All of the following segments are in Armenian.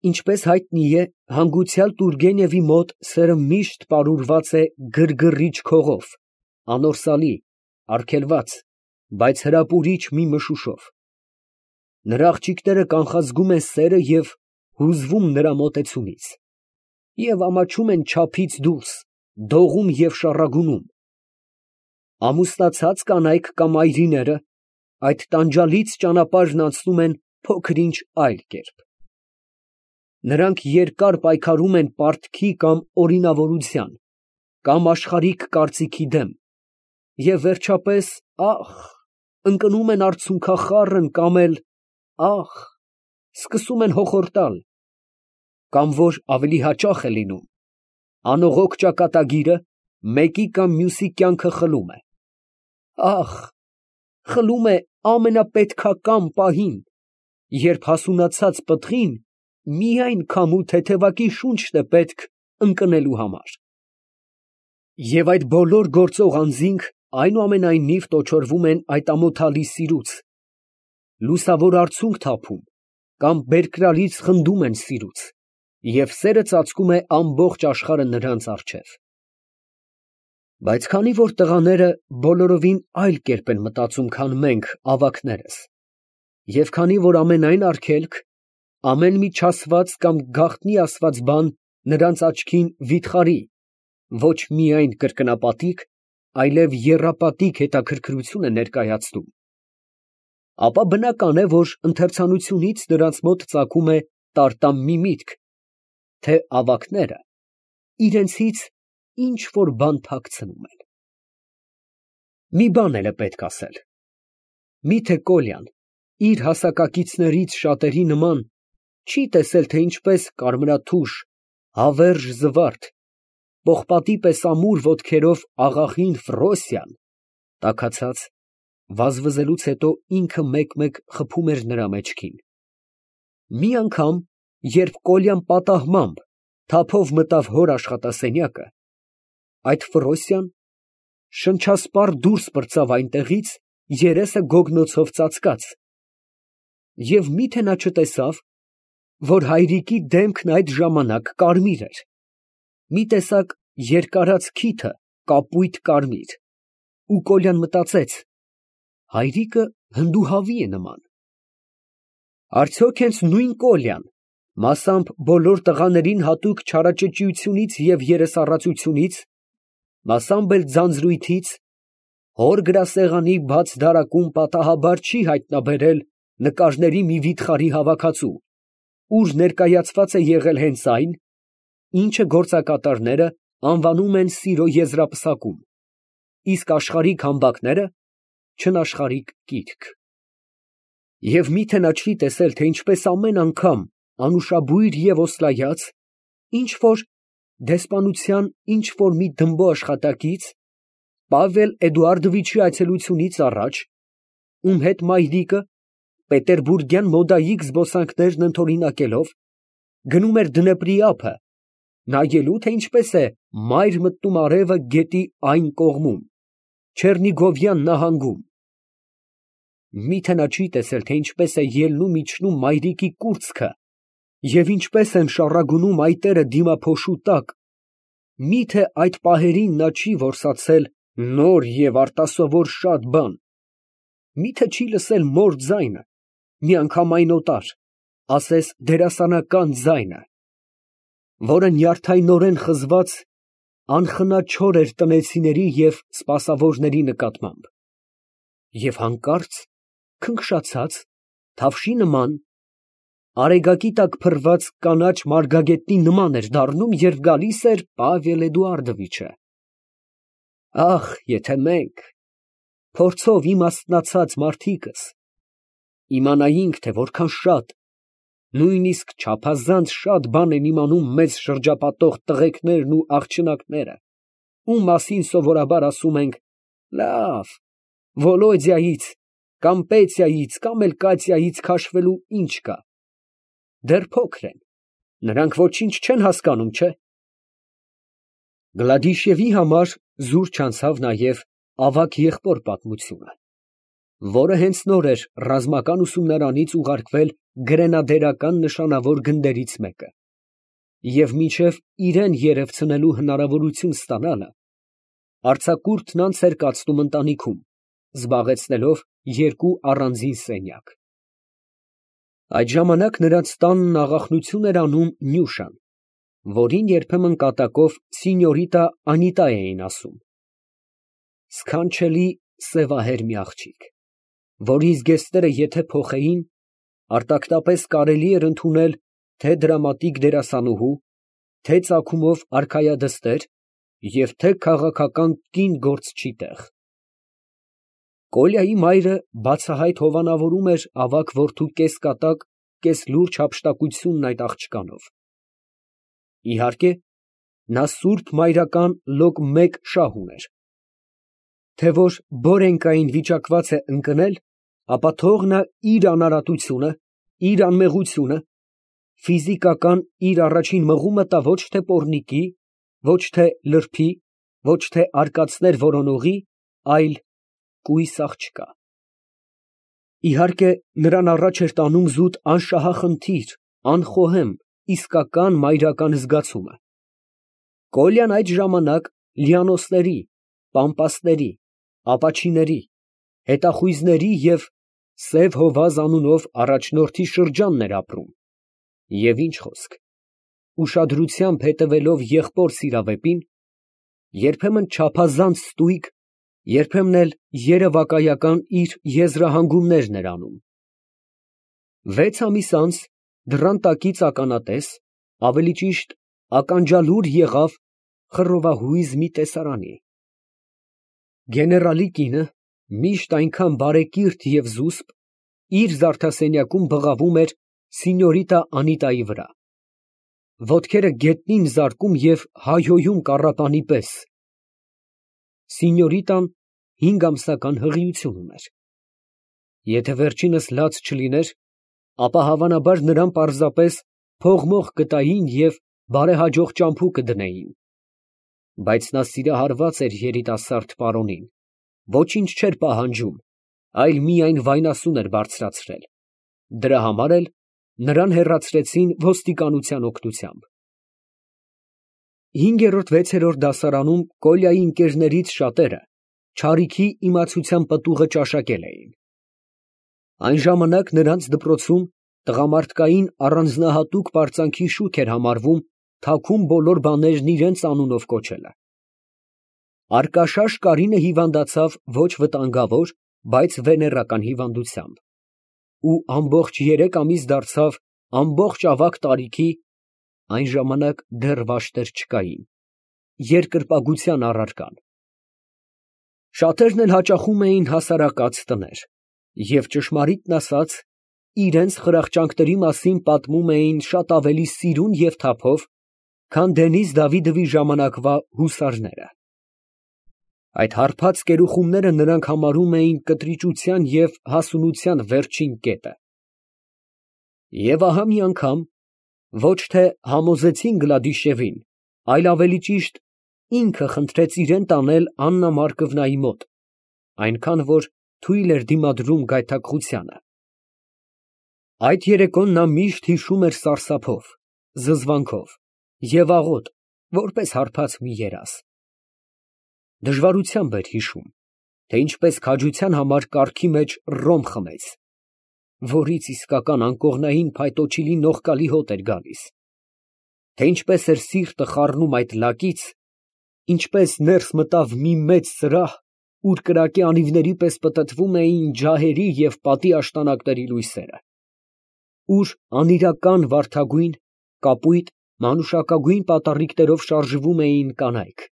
Ինչպես հայտնի է, հանգուցյալ Տուրգենևի մոտ սերը միշտ պարուրված է գրգռիչ քողով, անորսալի, արգելված, բայց հրապուրիչ մի մշուշով. նրա աղջիկները կանխազգում են սերը և հուզվում նրա մոտեցումից, և ամաչում են չափից դուրս, դողում և շառագունում. ամուսնացած կանայք կամ այրիները այդ տանջալից ճանապարհն անցնում են փոքր֊ինչ այլ կերպ. նրանք երկար պայքարում են պարտքի կամ օրինավորության, կամ աշխարհիկ կարծիքի դեմ, և վերջապես, ընկնում են արցունքախառն կամ էլ, սկսում են հոխորտալ, կամ որ ավելի հաճախ է լինում, անողոք ճակատագիրը մեկի կամ մյուսի կյանքը խլում է, խլում է ամենապետքական պահին, երբ հասունացած պտղին միայն քամու թեթևակի շունչն է պետք ընկնելու համար։ Եվ այդ բոլոր գործող անձինք այնուամենայնիվ տոչորվում են այդ ամոթալի սիրուց, լուսավոր արցունք թափում, կամ բերկրալից խնդում են սիրուց, և սերը ծածկում է ամբողջ աշխարհը նրանց առջև։ Բայց քանի որ տղաները բոլորովին այլ կերպ են մտածում, քան մենք, ավագներս, և քանի որ ամենայն արգելք, ամեն մի չասված կամ գաղտնի ասված բան նրանց աչքին վիթխարի, ոչ միայն կրկնապատիկ, այլև եռապատիկ հետաքրքրություն է ներկայացնում, ապա բնական է, որ ընթերցանությունից նրանց մոտ ծագում է տարտամ մի միտք, թե ավագները իրենցից ինչ֊որ բան թաքցնում են։ Մի բան էլ է պետք ասել. միթե Կոլյան իր հասակակիցներից շատերի նման չի տեսել, թե ինչպես կարմրաթուշ, հավերժ զվարթ, պողպատի պես ամուր ոտքերով աղախին Ֆրոսյան, տաքացած, վազվզելուց հետո ինքը մեկ֊մեկ խփում էր նրա մեջքին։ Մի անգամ, երբ Կոլյան պատահմամբ թափով մտավ հոր աշխատասենյակը, այդ Ֆրոսյան շնչասպառ դուրս պրծավ այնտեղից, երեսը գոգնոցով ծածկած, և մի՞թե նա չտեսավ, որ հայրիկի դեմքն այդ ժամանակ կարմիր էր, մի տեսակ երկարած քիթը կապույտ կարմիր, ու Կոլյան մտածեց. հայրիկը հնդուհավի է նման։ Արդյոք հենց նույն Կոլյան, մասամբ բոլոր տղաներին հատուկ չարաճճիությունից և երեսառածությունից, մասամբ էլ ձանձրույթից, հոր գրասեղանի բաց դարակում պատահաբար չի հայտնաբերել նկարների մի վիթխարի հավաքածու, ուր ներկայացված է եղել հենց այն, ինչը գործակատարները անվանում են սիրո եզրափսակում, իսկ աշխարհիկ համբակները չնաշխարհիկ կիրք։ Եվ մի՞թե նա չի տեսել, թե ինչպես ամեն անգամ անուշաբույր և օսլայած, ինչ֊որ դեսպանության ինչ֊որ մի դմբո աշխատակից, Պավել Էդուարդովիչի այցելությունից առաջ, ում հետ մայրիկը, պետերբուրգյան մոդայիկ զբոսանքներն ընդօրինակելով, գնում էր Դնեպրի ափը, նայելու, թե ինչպես է մայր մտնում արևը գետի այն կողմում, Չեռնիգովյան նահանգում, մի՞թե նա չի տեսել, թե ինչպես է ելնում֊իջնում մայրիկի կուրծքը և ինչպես են շառագունում այտերը դիմափոշու տակ, մի՞թե այդ պահերին նա չի որսացել նոր և արտասովոր շատ բան, մի՞թե չի լսել մոր ձայնը, միանգամայն օտար, ասես դերասանական ձայնը, որը նյարդայնորեն խզված անխնաչոր էր տնեցիների և սպասավորների նկատմամբ, և հանկարծ, քնքշացած, թավշի նման, արեգակի տակ փռված կանաչ մարգագետնի նման էր դառնում, երբ գալիս էր Պավել Էդուարդովիչը։ Եթե մենք, փորձով իմաստնացած մարդիկս, իմանայինք, թե որքան շատ, նույնիսկ չափազանց շատ բան են իմանում մեզ շրջապատող տղեկներն ու աղջնակները, ում մասին սովորաբար ասում ենք. «Լավ, Վոլոդյայից կամ Պետյայից կամ էլ Կատյայից քաշվելու ինչ կա. դեռ փոքր են, նրանք ոչինչ չեն հասկանում, չէ՞»։ Գլադիշևի համար զուր չանցավ նաև ավագ եղբոր պատմությունը, որը հենց նոր էր ռազմական ուսումնարանից ուղարկվել գրենադերական նշանավոր գնդերից մեկը, և մինչև իրան երևցնելու հնարավորություն ստանալը, արձակուրդն անց էր կացնում ընտանիքում, զբաղեցնելով երկու առանձին սենյակ։ Այդ ժամանակ նրանց տանն աղախնություն էր անում Նյուշան, որին երբեմն կատակով սինյորիտա Անիտա էին ասում։ Սքանչելի սևահեր մի աղջիկ, որի զգեստները եթե փոխեին, արտակնապես կարելի էր ընդունել թե դրամատիկ դերասանուհու, թե ծագումով արքայադստեր և թե քաղաքական կին գործչի տեղ։ Կոլյայի մայրը բացահայտ հովանավորում էր ավագ որդու կես֊կատակ, կես֊լուրջ հափշտակությունն այդ աղջկանով։ Իհարկե, նա սուրբ մայրական լոկ մեկ շահ ուներ, թե որ բորենկային վիճակված է ընկնել, ապա թող նա իր անարատությունը, իր անմեղությունը, ֆիզիկական իր առաջին մղումը տա ոչ թե պոռնիկի, ոչ թե լրբի, ոչ թե արկածներ որոնողի, այլ կույս աղջկա։ Իհարկե, նրան առաջ էր տանում զուտ անշահախնդիր, անխոհեմ, իսկական մայրական զգացումը։ Կոլյան այդ ժամանակ լիանոսների, պամպասների, ապաչիների, հետախույզների և Սև Հովազ անունով առաջնորդի շրջանն էր ապրում, և ինչ խոսք, ուշադրությամբ հետևելով եղբոր սիրավեպին, երբեմն չափազանց ստույգ, երբեմն էլ երևակայական իր եզրահանգումներն էր անում։ 6 ամիս անց դռան տակից ականատես, ավելի ճիշտ ականջալուր եղավ խռովահույզ մի տեսարանի։ Գեներալի կինը, միշտ այնքան բարեկիրթ և զուսպ, իր զարդասենյակում բղավում էր սինյորիտա Անիտայի վրա, ոտքերը գետնին զարկում և հայհոյում կառապանի պես։ Սինյորիտան 5 ամսական հղիություն ուներ։ Եթե վերջինս լաց չլիներ, ապա հավանաբար նրան պարզապես փող֊մող կտային և բարեհաջող ճամփու կդնեին, բայց նա սիրահարված էր երիտասարդ պարոնին, ոչինչ չէր պահանջում, այլ միայն վայնասուն էր բարձրացրել, դրա համար էլ նրան հեռացրեցին ոստիկանության օգնությամբ։ 5-6-րդ դասարանում Կոլյայի ընկերներից շատերը չարիքի իմացության պտուղը ճաշակել էին։ Այն ժամանակ նրանց դպրոցում տղամարդկային առանձնահատուկ պարծանքի շուք էր համարվում թաքուն բոլոր բաներն իրենց անունով կոչելը։ Արկաշաշ Կարինը հիվանդացավ ոչ վտանգավոր, բայց վեներական հիվանդությամբ ու ամբողջ 3 ամիս դարձավ ամբողջ ավագ տարիքի (այն ժամանակ դեռ վաշտեր չկային) երկրպագության առարկան։ Շատերն էլ հաճախում էին հասարակած տներ և, ճշմարիտն ասած, իրենց խրախճանքների մասին պատմում էին շատ ավելի սիրուն և թափով, քան Դենիզ Դավիդովի ժամանակվա հուսարները։ Այդ հարբած կերուխումները նրանք համարում էին կտրիճության և հասունության վերջին կետը։ Եվ ահա մի անգամ, ոչ թե համոզեցին Գլադիշևին, այլ ավելի ճիշտ ինքը խնդրեց իրան տանել Աննա Մարկովնայի մոտ, այնքան որ թույլ էր դիմադրում գայթակղությանը։ Այդ երեկոն նա միշտ հիշում էր սարսափով, զզվանքով և աղոտ, որպես հարբած մի երազ։ Դժվարությամբ էր հիշում, թե ինչպես քաջության համար կառքի մեջ ռոմ խմեց, որից իսկական անկողնային փայտոջիլի նողկալի հոտ էր գալիս, թե ինչպես էր սիրտը խառնում այդ լակից, ինչպես ներս մտավ մի մեծ սրահ, ուր կրակե անիվների պես պտտվում էին ջահերի և պատի աշտանակների լույսերը, ուր անիրական վարդագույն, կապույտ, մանուշակագույն պատառիկներով շարժվում էին կանայք,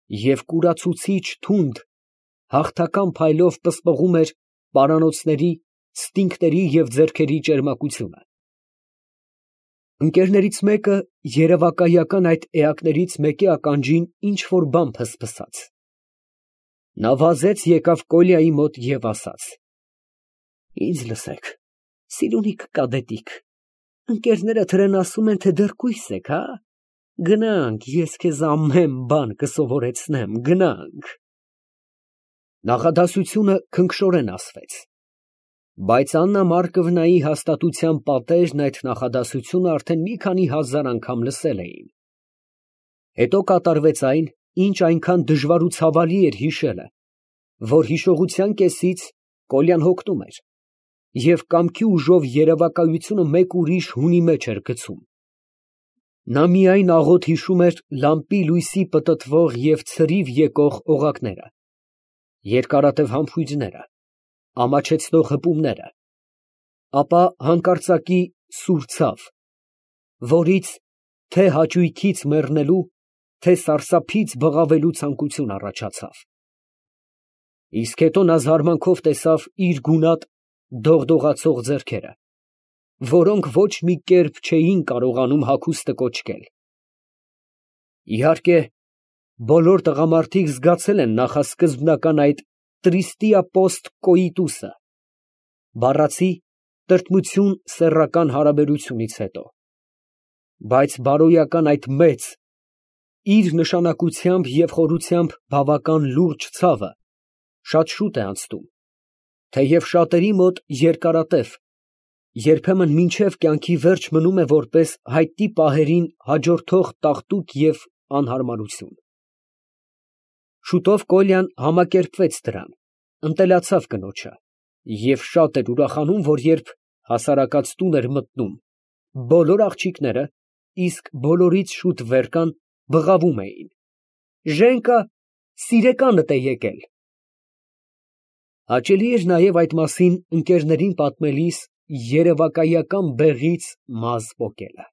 և կուրացուցիչ թունդ, հաղթական փայլով պսպղում էր պարանոցների, ստինգների և ձեռքերի ճերմակությունը։ Ընկերներից մեկը երևակայական այդ էակներից մեկի ականջին ինչ֊որ բան փսփսաց։ Նա վազեց եկավ Կոլյայի մոտ և ասաց. «Ինձ լսեք, սիրունիկ կադետիկ, ընկերներդ հրեն ասում են, թե դեռ կույս եք, հա՞։ Գնանք, ես քեզ ամեն բան կսովորեցնեմ, գնանք»։ Նախադասությունը քնքշորեն ասվեց։ Բայց Աննա Մարկովնայի հաստատության պատերն այդ նախադասությունը արդեն մի քանի հազար անգամ լսել էին։ Հետո կատարվեց այն, ինչ այնքան դժվար ու ցավալի էր հիշելը, որ հիշողության կեսից Կոլյան հոգնում էր և կամքի ուժով երևակայությունը մեկ ուրիշ հունի մեջ էր գցում։ Նա միայն աղոտ հիշում էր լամպի լույսի պտտվող և ցրիվ եկող օղակները, երկարատև համբույրները, ամաչեցնող հպումները, ապա հանկարծակի սուր ցավ, որից թե հաճույքից մեռնելու, թե սարսափից բղավելու ցանկություն առաջացավ։ Իսկ հետո նա զարմանքով տեսավ իր գունատ դողդողացող ձեռքերը, որոնք ոչ մի կերպ չէին կարողանում հագուստը կոչկել։ Իհարկե, բոլոր տղամարդիկ զգացել են նախասկզբնական այդ «tristia post coitus»-ը, բառացի տրտմություն սեռական հարաբերությունից հետո, բայց բարոյական այդ մեծ, իր նշանակությամբ և խորությամբ բավական լուրջ ցավը շատ շուտ է անցնում, թեև շատերի մոտ երկարատև, երբեմն մինչև կյանքի վերջ մնում է որպես հայտնի պահերին հաջորդող տաղտուկ և անհարմարություն։ Շուտով Կոլյան համակերպվեց դրան, ընտելացավ կնոջը և շատ էր ուրախանում, որ երբ հասարակած տուն էր մտնում, բոլոր աղջիկները, իսկ բոլորից շուտ վեր կան, բղավում էին. «Ժենկա, սիրեկանդ է եկել»։ Հաճելի էր նաև այդ մասին ընկերներին պատմելիս երևակայական բեղից մազ պոկելը։